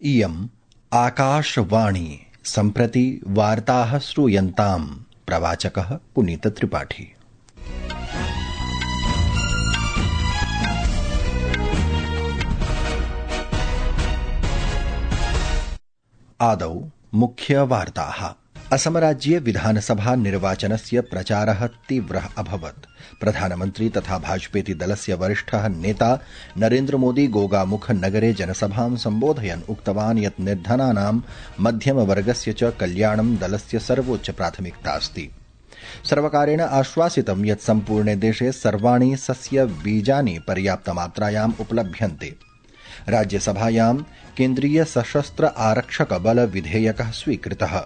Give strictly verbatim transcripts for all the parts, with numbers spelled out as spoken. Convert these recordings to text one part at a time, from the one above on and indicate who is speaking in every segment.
Speaker 1: इयम् आकाशवाणी सम्प्रति वार्ताः श्रूयन्ताम्। प्रवाचकः पुनीत त्रिपाठी। आदौ मुख्यवार्ताः। असमराज्ये विधानसभा निर्वाचनस्य प्रचारः तीव्रः अभवत्। प्रधानमन्त्री तथा भाजपेति दलस्य वरिष्ठः नेता नरेन्द्रमोदी गोगामुख नगरे जनसभां सम्बोधयन् उक्तवान् यत् निर्धनानां मध्यमवर्गस्य च कल्याणं दलस्य सर्वोच्च प्राथमिकता अस्ति। सर्वकारेण आश्वासितं यत् सम्पूर्णे देशे सर्वाणि सस्य बीजानि पर्याप्तमात्रायाम् उपलभ्यन्ते। राज्यसभायां केन्द्रीय सशस्त्र आरक्षक बल विधेयकः स्वीकृतः।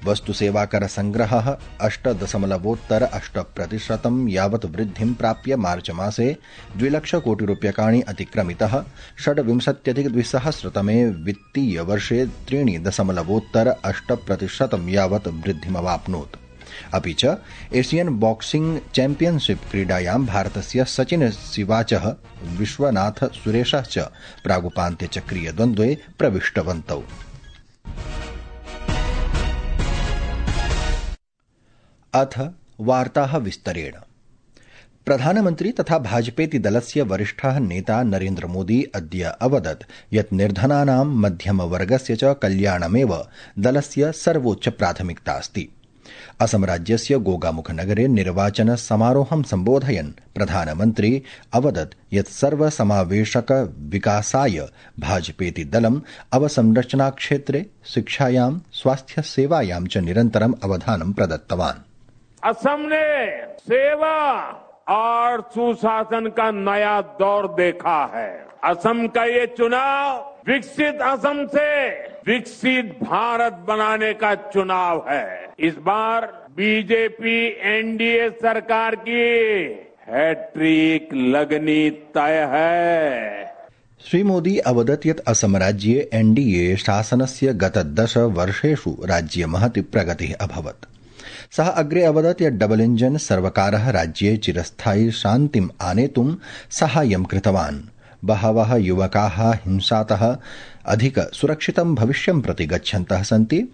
Speaker 1: वस्तुसेवाकर संग्रहः अष्ट दशमलवोत्तर अष्ट प्रतिशतं यावत् वृद्धिं प्राप्य मार्च मासे द्विलक्ष कोटि रूप्यकाणि अतिक्रमितः। षड्विंशत्यधिक द्विसहस्रतमे वित्तीय वर्षे त्रीणि दशमलवोत्तर अष्ट प्रतिशतं यावत् वृद्धिमवाप्नोत्। अपि च एशियन बॉक्सिंग चैंपियनशिप क्रीडायां भारतस्य सचिन सिवाचः विश्वनाथ सुरेशः च प्रागुपान्त्यचक्रीय द्वन्द्वे प्रविष्टवन्तौ। अथ वार्ताः विस्तरेण। प्रधानमन्त्री तथा भाजपेति दलस्य वरिष्ठः नेता नरेन्द्र मोदी अद्य अवदत् यत् निर्धनानां मध्यमवर्गस्य च कल्याणमेव दलस्य सर्वोच्च प्राथमिकता अस्ति। असमराज्यस्य गोगामुखनगरे निर्वाचन समारोहं सम्बोधयन् प्रधानमन्त्री अवदत् यत् सर्वसमावेशक विकासाय भाजपेति दलम् अवसंरचनाक्षेत्रे शिक्षायां स्वास्थ्यसेवायां च निरन्तरम् अवधानं प्रदत्तवान्।
Speaker 2: असम ने सेवा और सुशासन का नया दौर देखा है। असम का ये चुनाव विकसित असम से विकसित भारत बनाने का चुनाव है। इस बार बीजेपी एनडीए सरकार की हैट्रिक लगनी तय है।
Speaker 1: श्री मोदी अवदत् यत् असमराज्ये एनडीए शासनस्य गत दश वर्षेषु राज्ये महती प्रगतिः अभवत्। सः अग्रे अवदत् यत् डबल इंजन सर्वकारः राज्ये चिरस्थायी शान्तिम् आनेतुं साहाय्यं कृतवान्। बहवः युवकाः हिंसातः अधिक सुरक्षितं भविष्यं प्रति गच्छन्तः सन्ति।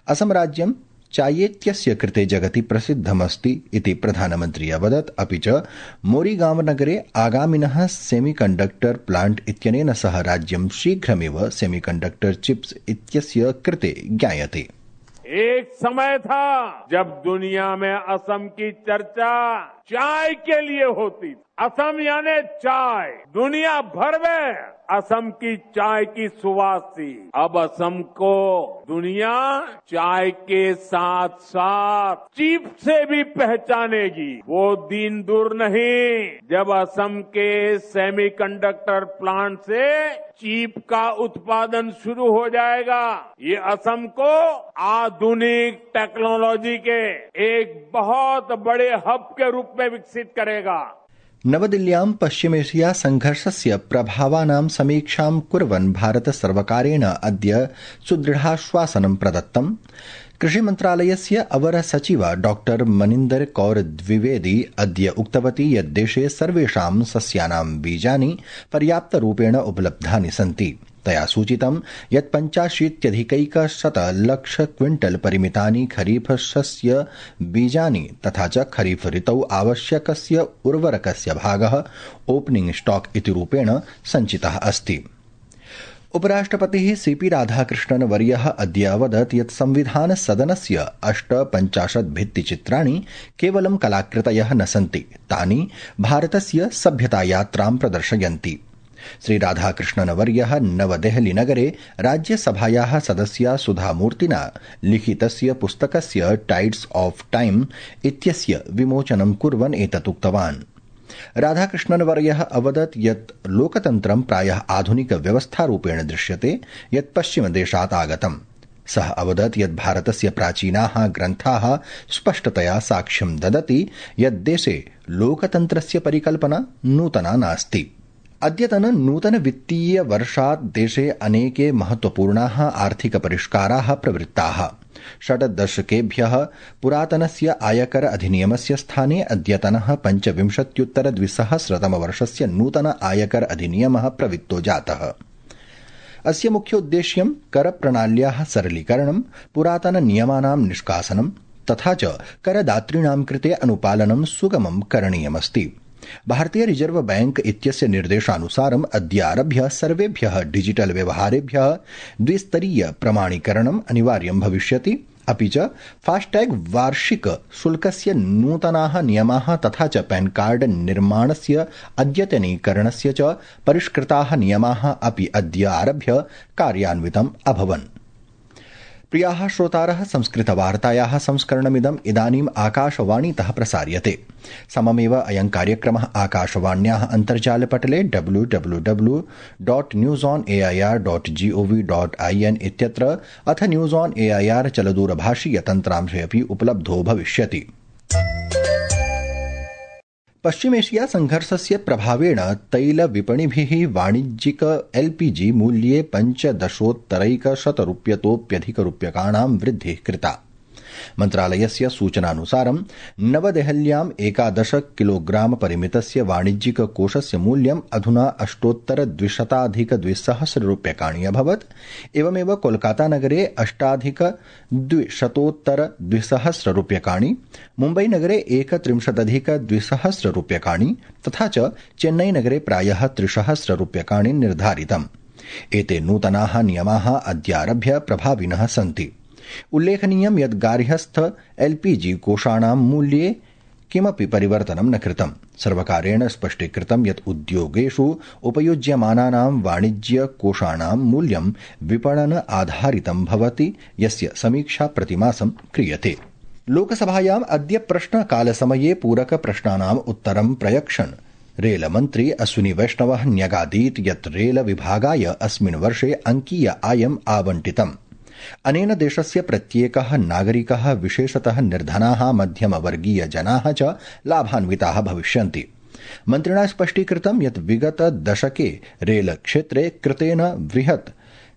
Speaker 1: असम राज्यं चायेत्यस्य कृते जगति प्रसिद्धमस्ति इति प्रधानमन्त्री अवदत्। अपि च मोरीगांव नगरे आगामिनः सेमीकण्डक्टर प्लांट इत्यनेन सह राज्यं शीघ्रमेव सेमीकण्डक्टर चिप्स इत्यस्य कृते ज्ञायते।
Speaker 2: एक समय था जब दुनिया में असम की चर्चा चाय के लिए होती। असम यानी चाय, दुनिया भर में असम की चाय की सुवास थी। अब असम को दुनिया चाय के साथ साथ चीप से भी पहचानेगी। वो दिन दूर नहीं जब असम के सेमीकंडक्टर प्लांट से चीप का उत्पादन शुरू हो जाएगा। ये असम को आधुनिक टेक्नोलॉजी के एक बहुत बड़े हब के रूप में विकसित करेगा।
Speaker 1: नवदिल्ल्यां पश्चिमेशिया संघर्षस्य प्रभावानां समीक्षां कुर्वन् भारत सर्वकारेण अद्य सुदृढाश्वासनं प्रदत्तम्। कृषिमन्त्रालयस्य अवर सचिवा डॉक्टर मनिन्दर कौर द्विवेदी अद्य उक्तवती यत् देशे सर्वेषां सस्यानां बीजानि पर्याप्तरूपेण उपलब्धानि सन्ति। तया सूचितं यत् पञ्चाशीत्यधिकैकशत लक्ष क्विंटल परिमितानि खरीफ शस्य बीजानि तथा च खरीफ ऋतौ आवश्यकस्य उर्वरकस्य भागः ओपनिंग स्टॉक इति रूपेण सञ्चितः अस्ति। उपराष्ट्रपतिः सीपी राधाकृष्णन वर्यः अद्य अवदत् यत् संविधान सदनस्य अष्टपञ्चाशत् भित्तिचित्राणि केवलं कलाकृतयः न सन्ति, तानि भारतस्य सभ्यतायात्रां प्रदर्शयन्ति। श्री राधाकृष्णन वर्यः नवदेहली नगरे राज्यसभायाः सदस्या सुधामूर्तिना लिखितस्य पुस्तकस्य टाइड्स ऑफ टाइम इत्यस्य विमोचनं कुर्वन् एतत् उक्तवान्। राधाकृष्णन वर्यः अवदत् यत् लोकतन्त्रं प्रायः आधुनिक व्यवस्थारूपेण दृश्यते यत् पश्चिमदेशात् आगतम्। सः अवदत् यत् भारतस्य प्राचीनाः ग्रन्थाः स्पष्टतया साक्ष्यं ददति यत् देशे लोकतन्त्रस्य परिकल्पना नूतना नास्ति। अद्यतन नूतन वित्तीय वर्षात् देशे अनेके महत्वपूर्णाः आर्थिक परिष्काराः प्रवृत्ताः। षड्दशकेभ्यः पुरातनस्य आयकर अधिनियमस्य स्थाने अद्यतनः पञ्चविंशत्युत्तर द्विसहस्रतमवर्षस्य नूतन आयकर अधिनियमः प्रवृत्तो जातः। अस्य मुख्योद्देश्यं करप्रणाल्याः सरलीकरणं, पुरातननियमानां निष्कासनं तथा च करदातॄणां कृते अनुपालनं सुगमं करणीयमस्ति। भारतीय रिजर्व बैंक इत्यस्य निर्देशानुसारम् अद्यारभ्य सर्वेभ्यः डिजिटल व्यवहारेभ्यः द्विस्तरीय प्रमाणीकरणम् अनिवार्यं भविष्यति। अपि च फास्टैग वार्षिक शुल्कस्य नूतनाः नियमाः तथा च पैन कार्ड निर्माणस्य अद्यतनीकरणस्य च परिष्कृताः नियमाः अपि अद्य आरभ्य कार्यान्वितम् अभवन्। प्रियाः श्रोतारः, संस्कृतवार्तायाः संस्करणमिदम् इदानीम् आकाशवाणीतः प्रसार्यते। सममेव अयं कार्यक्रमः आकाशवाण्याः अन्तर्जालपटले W W W dot news on A I R dot G O V dot I N इत्यत्र अथ news on A I R चलदूरभाषीय तन्त्रांशे अपि उपलब्धो भविष्यति। पश्चिमेशिया संघर्षस्य प्रभावेण तैलविपणिभिः वाणिज्यिक एलपीजी मूल्ये पञ्चदशोत्तरैकशतरूप्यतोऽप्यधिकरूप्यकाणां वृद्धिः कृता। मन्त्रालयस्य सूचनानुसारं नवदेहल्याम् एकादश किलोग्राम परिमितस्य वाणिज्यिक कोषस्य मूल्यम् अधुना अष्टोत्तर द्विशताधिक द्विसहस्र रूप्यकाणि अभवत्। एवमेव कोलकातानगरे अष्टाधिक द्विशतोत्तर द्विसहस्र रूप्यकाणि, मुम्बईनगरे एकत्रिंशदधिक द्विसहस्र रूप्यकाणि तथा च चेन्नईनगरे प्रायः त्रिसहस्र रूप्यकाणि निर्धारितम्। एते नूतनाः नियमाः अद्यारभ्य प्रभाविनः सन्ति। उल्लेखनीयं यत् गार्हस्थ एलपीजी कोषाणां मूल्ये किमपि परिवर्तनं न कृतम्। सर्वकारेण स्पष्टीकृतं यत् उद्योगेषु उपयुज्यमानानां वाणिज्य कोषाणां मूल्यं विपणन आधारितं भवति, यस्य समीक्षा प्रतिमासं क्रियते। लोकसभायाम् अद्य प्रश्नकालसमये पूरक प्रश्नानाम् उत्तरं प्रयक्षन् रेलमन्त्री अश्विनी वैष्णवः न्यगादीत् यत् रेल विभागाय अस्मिन् वर्षे अंकीय आयम् आवंटितम्। अनेन देशस्य प्रत्येकः नागरिकः, विशेषतः निर्धनाः, मध्यमवर्गीय जनाः च लाभान्विताः भविष्यन्ति। मन्त्रिणा स्पष्टीकृतं यत् विगत दशके रेल क्षेत्रे कृतेन बृहत्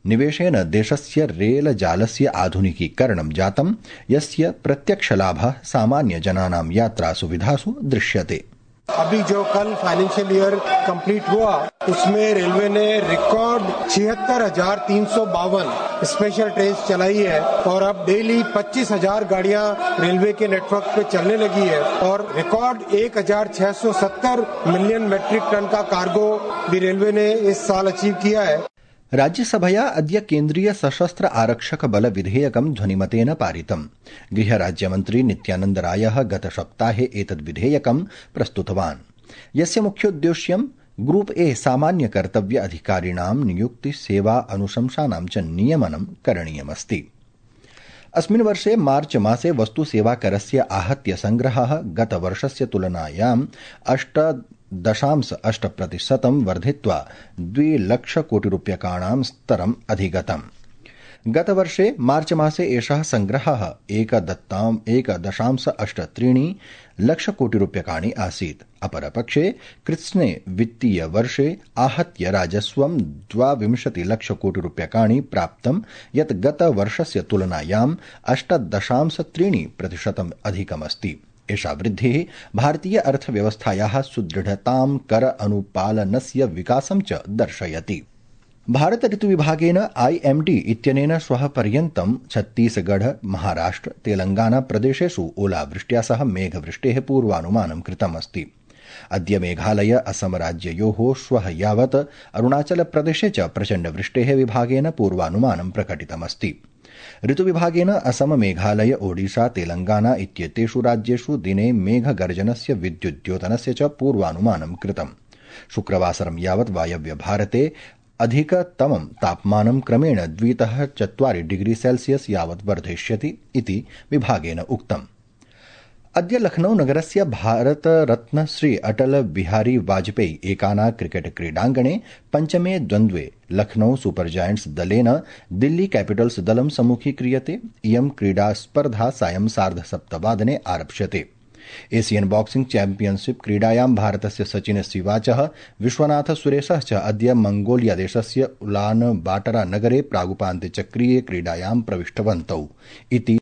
Speaker 1: निवेशेन देशस्य रेल जालस्य आधुनिकीकरणं जातं, यस्य प्रत्यक्षलाभः सामान्य जनानां यात्रा सुविधासु दृश्यते।
Speaker 3: अभी जो कल फाइनेंशियल ईयर कंप्लीट हुआ उसमें रेलवे ने रिकॉर्ड छिहत्तर हजार तीन सौ बावन स्पेशल ट्रेन चलाई है और अब डेली पच्चीस हजार गाड़ियां रेलवे के नेटवर्क पे चलने लगी है और रिकॉर्ड एक हजार छह सौ सत्तर मिलियन मेट्रिक टन का कार्गो भी रेलवे ने इस साल अचीव किया है।
Speaker 1: राज्यसभया अद्य केन्द्रीय सशस्त्र आरक्षक बल विधेयकं ध्वनिमतेन पारितम्। गृहराज्यमन्त्री नित्यानन्द रायः गतसप्ताहे एतद् विधेयकं प्रस्तुतवान्, यस्य मुख्योद्देश्यं ग्रुप ए सामान्य कर्तव्य अधिकारिणां नियुक्ति, सेवा, अनुशंसानां च नियमनं करणीयमस्ति। अस्मिन् वर्षे मार्च मासे वस्तु सेवा करस्य आहत्य संग्रहः गतवर्षस्य तुलनायाम् अष्ट दशांश अष्ट प्रतिशतं वर्धित्वा द्विलक्ष कोटि रूप्यकाणां स्तरम् अधिगतम्। गतवर्षे मार्च मासे एषः संग्रहः एकदत्ताम् एक दशांश अष्ट त्रीणि लक्ष कोटि रूप्यकाणि आसीत्। अपरपक्षे कृत्स्ने वित्तीय वर्षे आहत्य राजस्वं द्वाविंशति लक्ष कोटि रूप्यकाणि प्राप्तं, यत् गतवर्षस्य तुलनायाम् अष्ट दशांश त्रीणि प्रतिशतम् अधिकमस्ति। एषा वृद्धिः भारतीय अर्थव्यवस्थायाः सुदृढतां, कर अनुपालनस्य विकासं च दर्शयति। भारत ऋतुविभागेन आईएमडी इत्यनेन श्वः पर्यन्तं छत्तीसगढ़, महाराष्ट्र, तेलंगाना प्रदेशेषु ओलावृष्ट्या सह मेघवृष्टेः पूर्वानुमानं कृतमस्ति। अद्य मेघालय, असम राज्ययोः श्वः यावत् अरुणाचल प्रदेशे च प्रचण्डवृष्टेः विभागेन पूर्वानुमानं प्रकटितमस्ति। ऋतुविभागेन असम, मेघालय, ओडिशा, तेलंगाना इत्येतेषु राज्येषु दिने मेघगर्जनस्य, विद्युद्योतनस्य च पूर्वानुमानं कृतम्। शुक्रवासरं यावत् वायव्य भारते अधिकतमं तापमानं क्रमेण द्वितः चत्वारि डिग्री सेल्सियस् यावत् वर्धिष्यति इति विभागेन उक्तम्। अद्य लखनऊ नगरस्य भारतरत्न श्री अटल बिहारी वाजपेयी एकाना क्रिकेट क्रीडाङ्गणे पञ्चमे द्वन्द्वे लखनऊ सुपर जायंट्स दलेन दिल्ली कैपिटल्स दलं सम्मुखीक्रियते। इयं क्रीडास्पर्धा सायं सार्धसप्तवादने आरप्स्यते। एशियन बॉक्सिंग चैम्पियनशिप क्रीडायां भारतस्य सचिन सिवाचः, विश्वनाथ सुरेशः च अद्य मंगोलिया देशस्य उलान बाटरा नगरे प्रागुपान्त्यचक्रीये क्रीडायां प्रविष्टवन्तौ इति